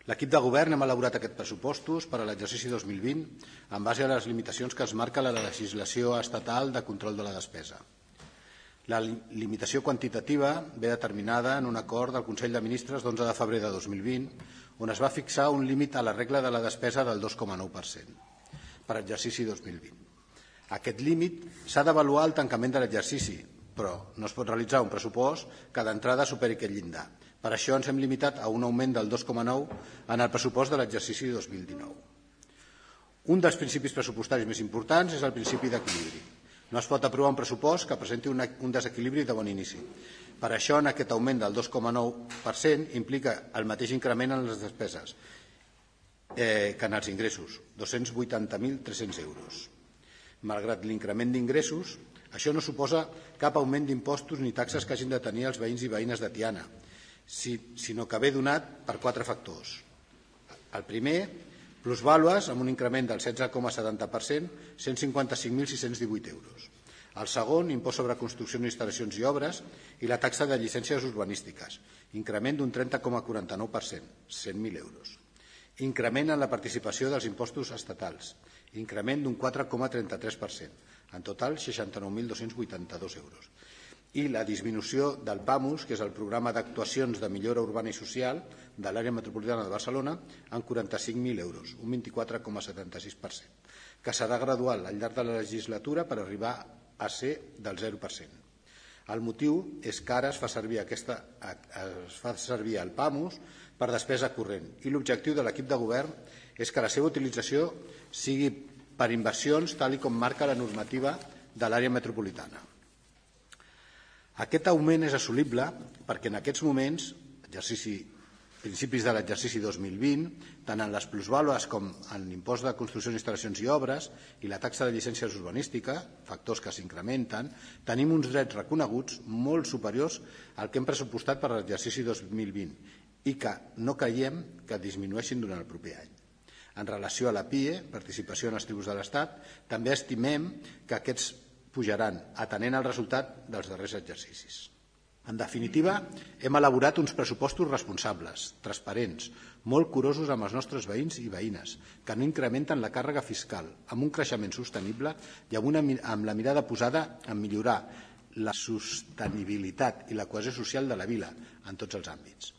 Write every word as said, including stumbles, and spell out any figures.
L'equip de govern hem elaborat aquests pressupostos per a l'exercici dos mil vint en base a les limitacions que es marca la legislació estatal de control de la despesa. La limitació quantitativa ve determinada en un acord del Consell de Ministres d'onze de febrer de dos mil vint, on es va fixar un límit a la regla de la despesa del dos coma nou per cent per a l'exercici dos mil vint. Aquest límit s'ha d'avaluar al tancament de l'exercici, però no es pot realitzar un pressupost que d'entrada superi aquest llindar. Per això ens hem limitat a un augment del dos coma nou en el pressupost de l'exercici dos mil dinou. Un dels principis pressupostaris més importants és el principi d'equilibri. No es pot aprovar un pressupost que presenti un desequilibri de bon inici. Per això, en aquest augment del dos coma nou per cent implica el mateix increment en les despeses eh, que en els ingressos, dos-cents vuitanta mil tres-cents euros. Malgrat l'increment d'ingressos, això no suposa cap augment d'impostos ni taxes que hagin de tenir els veïns i veïnes de Tiana, sinó que ve donat per quatre factors. El primer, plusvàlues amb un increment del setze coma setanta per cent, cent cinquanta-cinc mil sis-cents divuit euros. El segon, impost sobre construccions, instal·lacions i obres i la taxa de llicències urbanístiques, increment d'un trenta coma quaranta-nou per cent, cent mil euros. Increment en la participació dels impostos estatals, increment d'un quatre coma trenta-tres per cent, en total seixanta-nou mil dos-cents vuitanta-dos euros. I la disminució del PAMUS, que és el Programa d'Actuacions de Millora Urbana i Social de l'àrea metropolitana de Barcelona, en quaranta-cinc mil euros, un vint-i-quatre coma setanta-sis per cent, que serà gradual al llarg de la legislatura per arribar a ser del zero per cent. El motiu és que ara es fa servir, aquesta, es fa servir el PAMUS per despesa corrent i l'objectiu de l'equip de govern és que la seva utilització sigui per inversions tal com marca la normativa de l'àrea metropolitana. Aquest augment és assolible perquè en aquests moments, principis de l'exercici dos mil vint, tant en les plusvàlues com en l'impost de construccions, instal·lacions i obres i la taxa de llicències urbanística, factors que s'incrementen, tenim uns drets reconeguts molt superiors al que hem pressupostat per a l'exercici dos mil vint i que no creiem que disminueixin durant el proper any. En relació a la P I E, participació en els tributs de l'Estat, també estimem que aquests pujaran, atenent el resultat dels darrers exercicis. En definitiva, hem elaborat uns pressupostos responsables, transparents, molt curosos amb els nostres veïns i veïnes, que no incrementen la càrrega fiscal, amb un creixement sostenible i amb, una, amb la mirada posada en millorar la sostenibilitat i la cohesió social de la vila en tots els àmbits.